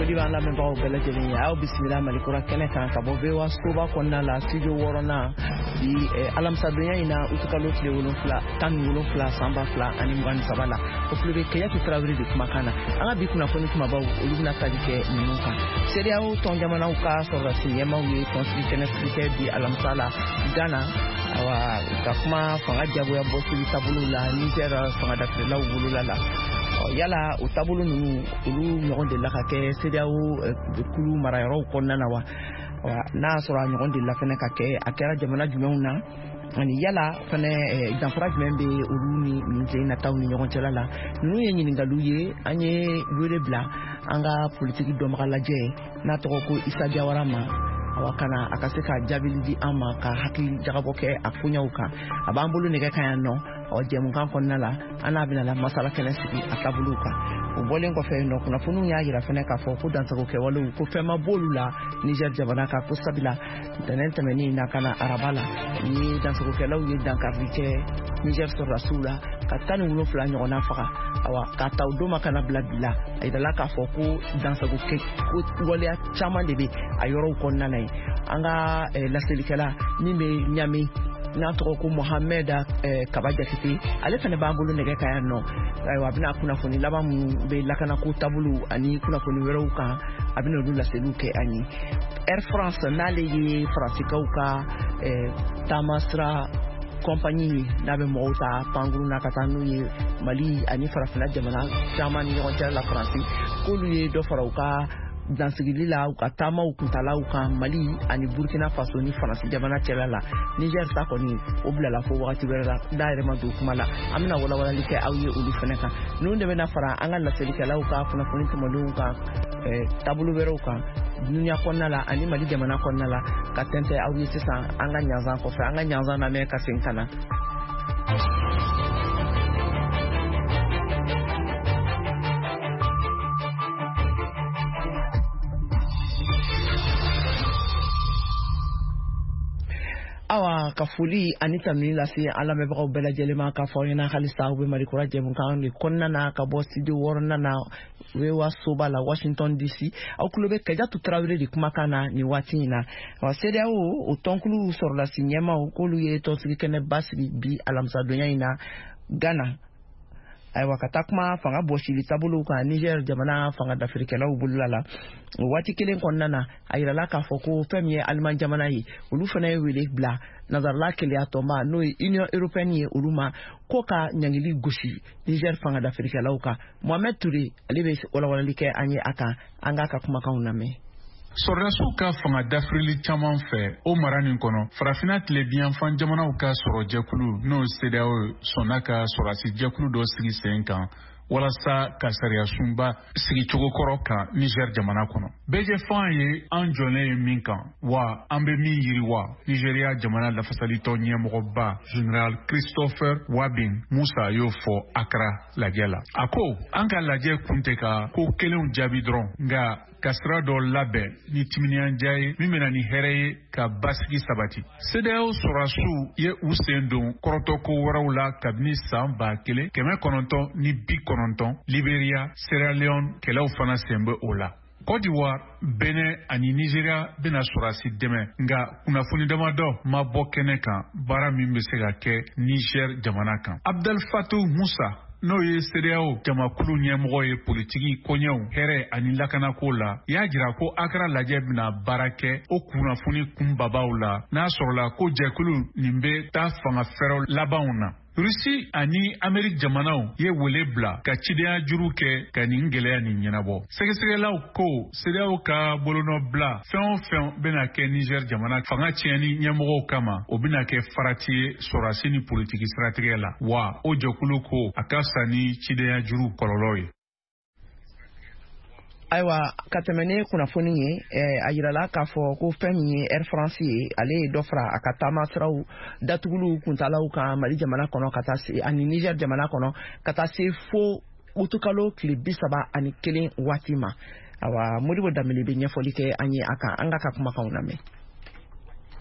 Foli b'an lamɛnbagaw bɛɛ lajɛlen ye. Aw bisimila Malikura kɛnɛ kan ka bɔ VOA soba kɔnɔna la, studio wɔɔrɔnan, bi alamisadonya in na, utukalo tile 7, 17, san 2023 la. O tulo bɛ Kajatu Tarawele de kumakan na. An ka bi kunnafoni kumabaw, olu bɛna tali kɛ ninnu kan: CEDEAO tɔn jamanaw ka sɔrɔdasi ɲɛmaaw ye tɔnsigi kɛnɛ sigi kɛ bi alamisa la Ghana, awa ka kuma fanga jagoya bɔsili taabolow la Niger fanga dafirilaw bolola la. Yala o taabolo ninnu, olu ɲɔgɔn delila ka kɛ CEDEAO kulu marayɔrɔw kɔnɔna na wa? N'a y'a sɔrɔ a ɲɔgɔn delila fɛnɛ ka kɛ, a kɛra jamana jumɛnw na? Ani yala fɛnɛ danfara jumɛn bɛ olu ni nin tile nataw ni ɲɔgɔn cɛla la? Ninnu ye ɲininkaliw ye. An ye wele bila an ka politiki dɔnbaga lajɛ n'a tɔgɔ ko Isa Jawara ma, awa kana a ka se ka jaabili di an ma, ka hakili jagabɔ kɛ a koɲɛw kan. A b'an bolo nɛgɛ kan yan nɔ. Ɔ jɛmukan kɔnɔna la, an n'a bɛna la masala kɛnɛ sigi a taabolow kan. O bɔlen kɔfɛ nɔ, kunnafoniw y'a yira fɛnɛ k'a fɔ ko dansago kɛwalew, ko fɛn ma b'olu la Niger jamana kan, ko sabula ntɛnɛn tɛmɛnin na ka na araba la, ni dansagokɛlaw ye dankarili kɛ Niger sɔrɔdasiw la ka 17 ɲɔgɔnna faga. Awa k'a ta o don ma ka na bila bi la, a yirala k'a fɔ ko dansago kɛ ko waleya caman de bɛ a yɔrɔw kɔnɔna na yen. An ka laselikɛla min bɛ Ɲame, n'a tɔgɔ ko Mohamɛd Kaba Jakite, ale fana b'an bolo nɛgɛ kan yan nɔ. Ayiwa, a bɛna kunnafoni laban minnu bɛ lakanako taabolow ani kunnafoni wɛrɛw kan, a bɛna olu laseliw kɛ an ye. Air France, n'ale ye Faransikaw ka taamasira kɔnpaɲi ye, n'a bɛ mɔgɔw ta pankurun na ka taa n'u ye Mali ani farafinna jamana caman ni ɲɔgɔn cɛ la Faransi, k'olu ye dɔ fara u ka dansigili la u ka taamaw kuntalaw kan Mali ani Burkina Faso ni Faransi jamana cɛla la. Niger ta kɔni, o bilala fo wagati wɛrɛ la, da yɛrɛ ma don kuma la. An bɛna walawalali kɛ aw ye olu fɛnɛ kan. Ninnu de bɛna fara an ka laselikɛlaw ka kunnafoni tɔmɔdenw kan taabolo wɛrɛw kan duniya kɔnɔna la ani Mali jamana kɔnɔna la, ka tɛntɛ aw ye sisan an ka ɲanzan kɔfɛ. An ka ɲanzan lamɛn ka segin ka na. Awa, ka foli ani tanuni lase an lamɛnbagaw bɛɛ lajɛlen ma, k'a fɔ aw ɲɛna halisa aw bɛ Malikura jɛmukan de kɔnɔna na ka bɔ studio wɔɔrɔnan na, VOA soba la, Washington DC. Aw tulo bɛ Kajatu Tarawele de kumakan na nin waati in na. Wa CEDEAO, o tɔnkulu sɔrɔdasi ɲɛmaaw, k'olu ye tɔnsigi kɛnɛba sigi bi alamisadonya in na Ghana, ayiwa ka taa kuma fanga bɔsili taabolow kan Niger jamana fanga dafirikɛlaw bolola la. O waati kelen kɔnɔna na, a yirala k'a fɔ ko fɛn min ye Aliman jamana ye, olu fana ye wele bila Nansarala Keleya tɔnba, n'o ye Union européenne ye, olu ma ko ka ɲangili gosi Niger fanga dafirikɛlaw kan. Mohamed Toure, ale bɛ walawalali kɛ an ye a kan. An k'a ka kumakanw lamɛn. Sɔrɔdasiw ka fanga dafirili caman fɛ o mara nin kɔnɔ, Farafina tilebiyanfan jamanaw ka sɔrɔjɛkulu, n'o CEDEAO, sɔnna ka sɔrɔdasi jɛkulu dɔ sigi sen kan walasa ka sariyasunba sigicogo kɔrɔ kan Niger jamana kɔnɔ. Bɛɛjɛfanga ye an jɔlen ye min kan, wa an bɛ min yiriwa, Nigeria jamana lafasalitɔ ɲɛmɔgɔba Général Christopher Wabin Musa y'o fɔ Accra lajɛ la. A ko an ka lajɛ kun tɛ ka ko kelenw jaabi dɔrɔn, nka ka sira dɔ labɛn ni timiniyanja ye min bɛna ni hɛrɛ ye ka basigi sabati. CEDEAO sɔrɔdasiw ye u sen don kɔrɔtɔko wɛrɛw la kabini san 1990, Liberia, Sierra Leone kɛlɛw fana sen bɛ o la. Côte d'Ivoire, Benin ani Nigeria bɛna sɔrɔdasi dɛmɛ, nka kunnafoni damadɔ ma bɔ kɛnɛ kan baara min bɛ se ka kɛ Niger jamana kan. Abdel Fattah Musa, n'o ye CEDEAO jamakulu ɲɛmɔgɔ ye politiki koɲɛw, hɛrɛ ani lakanako la, y'a jira ko Accra lajɛ bɛna baara kɛ o kunnafoni kunbabaw la, n'a sɔrɔla ko jɛkulu nin bɛ taa fanga fɛɛrɛw labanw na. Rusi ani Ameriki jamanaw ye wele bila ka cidenya juru kɛ ka nin gwɛlɛya nin ɲɛnabɔ. Sɛgɛsɛgɛlaw ko CEDEAO ka bolonɔbila fɛn o fɛn bɛna kɛ Niger jamana fanga tiɲɛni ɲɛmɔgɔw kama, o bɛna kɛ farati ye sɔrɔdasi ni politiki siratigɛ la, wa o jɛkulu ko a ka fisa ni cidenya juru kɔlɔlɔ ye. Ayiwa, ka tɛmɛ ni kunnafoni ye, a yirala k'a fɔ ko fɛn min ye Air France ye, ale ye dɔ fara a ka taama siraw datuguliw kuntalaw kan Mali jamana kɔnɔ ka taa se ani Niger jamana kɔnɔ, ka taa se fo utukalo tile 31 waati ma. Awa, Modibo Danbele bɛ ɲɛfɔli kɛ an ye a kan. An ka kumakanw lamɛn.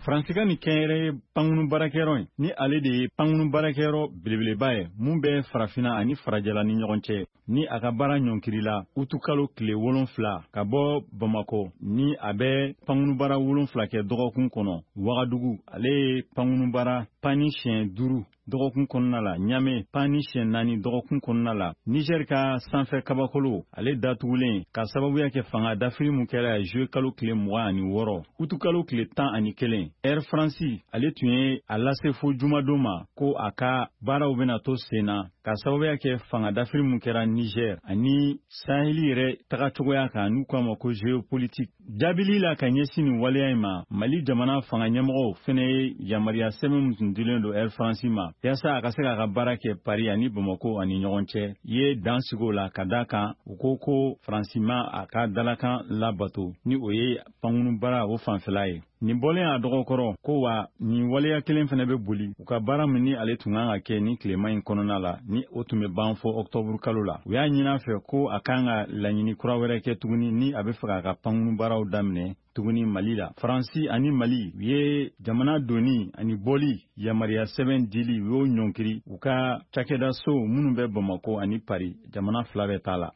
Faransi ka nin kɛnyɛrɛye pankunu baarakɛyɔrɔ in ni ale de ye pankunu baarakɛyɔrɔ belebeleba ye mun bɛ Farafina ani Farajɛla ni ɲɔgɔn cɛ. ni a ka baara ɲɔnkirila utukalo tile 7 ka bɔ Bamakɔ, ni a bɛ pankurunbaara 7 kɛ dɔgɔkun kɔnɔ. Wagadugu, ale ye pankurunbaara panni siɲɛ 5 dɔgɔkun kɔnɔna la. Ɲame, panni siɲɛ 4 dɔgɔkun kɔnɔna la. Niger ka sanfɛ kabakolo, ale datugulen ka sababuya kɛ fanga dafiri mun kɛra juillet kalo tile 26, utukalo tile 11. Air France, ale tun ye a lase fo jumadon ma ko a ka baaraw bɛna to sen na ka sababuya kɛ fanga dafiri mun kɛra Niger ani Saheli yɛrɛ tagacogoya kan, n'u k'a ma ko géopolitique. Jaabili la ka ɲɛsin nin waleya in ma, Mali jamana fanga ɲɛmɔgɔw fɛnɛ ye yamaruya sɛbɛn min tun dilen don Air France ma yaasa a ka se k'a ka baara kɛ Paris ani Bamako ani ɲɔgɔn cɛ, ye dan sigi o la, ka da kan u ko ko Faransi ma a ka dalakan labato, ni o ye pankurunbaara o fanfɛla ye. Nin bɔlen a dɔgɔkɔrɔ ko wa nin waleya kelen fɛnɛ bɛ boli u ka baara min ni ale tun kan ka kɛ ni tilema in kɔnɔna la, ni o tun bɛ ban fɔ ɔktɔburu kalo la. U y'a ɲini a fɛ ko a kan ka laɲini kura wɛrɛ kɛ tuguni ni a bɛ fɛ k'a ka pankurun baaraw daminɛ tuguni Mali la. Faransi ani Mali, u ye jamana donni ani bɔli yamaruya sɛbɛn dili, u y'o ɲɔnkiri u ka cakɛdaso minnu bɛ Bamako ani Paris, jamana fila bɛɛ t'a la.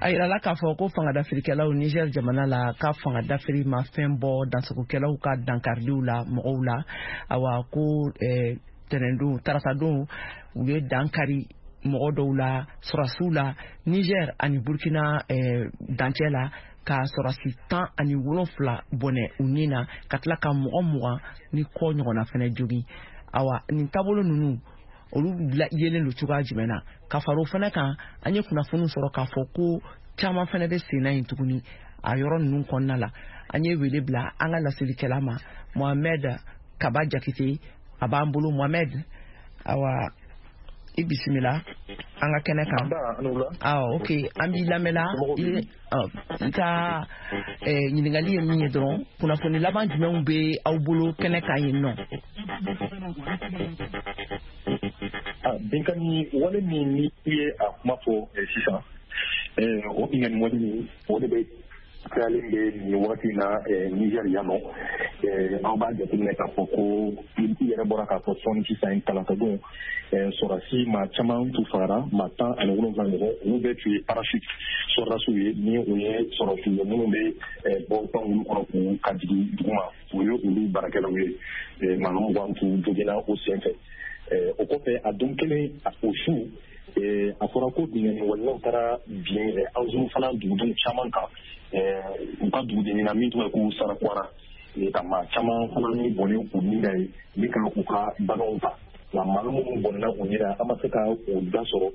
A yirala k'a fɔ ko fangadafirikɛlaw Niger jamana la ka fangadafiri ma fɛn bɔ dansagokɛlaw ka dankariliw la mɔgɔw la. Awa, ko tɛnɛndon, taratadon, u ye dankari mɔgɔ dɔw la, sɔrɔsiw la, Niger ani Burkina dancɛ la, ka sɔrɔsi 17 bɔnɛ u ni na, ka tila ka mɔgɔ 20 ni kɔ ɲɔgɔnna fɛnɛ jogin. Awa, nin taabolo ninnu, olu yelen don cogoya jumɛn na? Ka fara o fana kan, an ye kunnafoniw sɔrɔ k'a fɔ ko caman fana bɛ sen na yen tuguni a yɔrɔ ninnu kɔnɔna la. An ye wele bila an ka laselikɛla ma, Mohamed Kaba Jakite, a b'an bolo. Mohamed, awa, i bisimila an ka kɛnɛ kan. Awɔ, ok, an b'i lamɛnla. I ka ɲininkali ye min ye dɔrɔn, kunnafoni laban jumɛnw bɛ aw bolo kɛnɛ kan yen nɔ? Binkanni wale min ni i ye a kuma fɔ sisan, o binkanni wale min, o de bɛ cayalen bɛ nin wagati in na Niger yan nɔ. Aw b'a jateminɛ k'a fɔ ko i yɛrɛ bɔra k'a fɔ sɔɔni sisan, talatadon, sɔrɔdasi maa caman tun fagara, maa 17 ɲɔgɔn. Olu bɛɛ tun ye parachute sɔrɔdasiw ye, ni o ye sɔrɔdasiw ye minnu bɛ bɔ pankuru kɔnɔ k'u ka jigin duguma, o ye olu baarakɛlaw ye. Maa 20 tun joginna o senfɛ. O kɔfɛ, a don kelen, o su, a fɔra ko binkanni waleyaw taara bin Anzuru fana dugudenw caman kan, u ka duguden na min tɔgɔ ye ko Sarakwara, ka maa caman fana ni bɔnɛ u ni na ye ni ka u ka baganw ta. Nka maa minnu bɔnɛna u ni na, an ma se ka o da sɔrɔ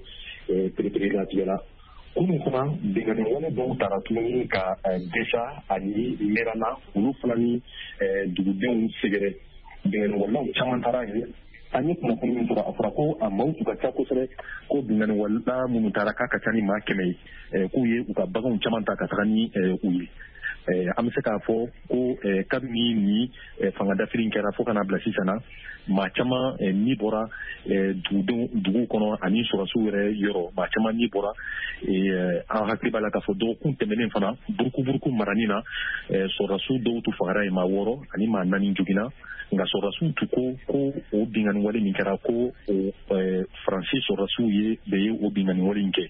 pereperelatigɛ la. Kunun fana, binkanni wale dɔw taara tuguni ka Desa ani Merana, olu fana ni dugudenw sɛgɛrɛ. Binkanni walew caman taara yen. An ye kunnafoni min sɔrɔ, a fɔra ko a maaw tun ka ca kosɛbɛ, ko binkanni waleya minnu taara k'a ka ca ni maa 100 ye, k'u ye u ka baganw caman ta ka taga ni u ye. An bɛ se k'a fɔ ko kabini ni fanga dafiri kɛra fo ka na bila sisan na, maa caman ni bɔra dugudenw dugu kɔnɔ ani sɔrɔsiw yɛrɛ yɔrɔ, maa caman ni bɔra. An hakili b'a la k'a fɔ dɔgɔkun tɛmɛnen fana, Burukuburuku marani na, sɔrɔsiw dɔw tun fagara yen, maa 6 ani maa 4 joginna. Nka sɔrɔdasiw tun ko ko o binkanni wale min kɛra, ko o Faransi sɔrɔdasiw ye de ye o binkanni wale in kɛ.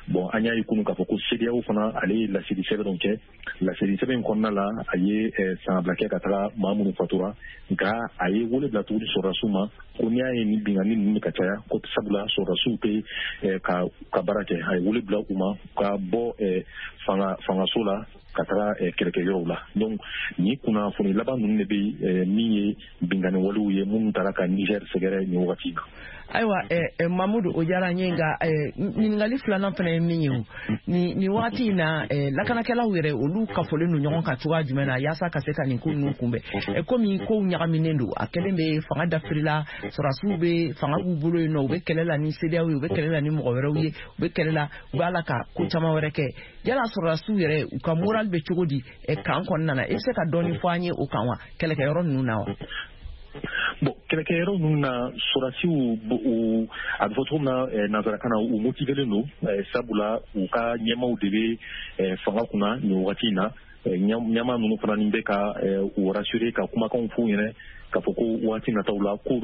Bon, an y'a ye kunun k'a fɔ ko CEDEAO fana, ale ye laseli sɛbɛn dɔ kɛ. Laseli sɛbɛn in kɔnɔna la, a ye sangabila kɛ ka taga maa minnu fatura, nka a ye wele bila tuguni sɔrɔdasiw ma ko n'i y'a ye nin binkanni ninnu ka caya, ko sabula sɔrɔdasiw tɛ ka baara kɛ. A ye wele bila u ma ka bɔ fangaso la ka taga kɛlɛkɛyɔrɔw la. Donc nin kunnafoni laban ninnu de bɛ min ye binkanni walew ye minnu taara ka Niger sɛgɛrɛ nin wagati in na. Ayiwa, Mamudu, o diyara n ye, nka ɲininkali filanan fana ye min ye, o nin wagati in na, lakanakɛlaw yɛrɛ, olu kafolen don ɲɔgɔn kan cogoya jumɛn na yaasa ka se ka nin ko ninnu kunbɛn? Komi kow ɲagaminen don, a kɛlen bɛ fanga dafiri la, sɔrɔdasiw bɛ fanga b'u bolo yen nɔ, u bɛ kɛlɛ la ni CEDEAO ye, u bɛ kɛlɛ la ni mɔgɔ wɛrɛw ye, u bɛ kɛlɛ la, u b'a la ka ko caman wɛrɛ kɛ. Yala sɔrɔdasiw yɛrɛ, u ka moral bɛ cogo di kan kɔnɔna na? I bɛ se ka dɔɔni fɔ an ye o kan wa, kɛlɛkɛyɔrɔ ninnu na wa? Bon, kɛlɛkɛyɔrɔ ninnu na, sɔrɔdasiw, a bɛ fɔ cogo min na nanzarakan na, u motivelen don, sabula u ka ɲɛmaaw de bɛ fanga kunna nin wagati in na. Ɲɛmaa ninnu fana bɛ ka u rassurer, ka kumakanw f'u ɲɛna k'a fɔ ko waati nataw la ko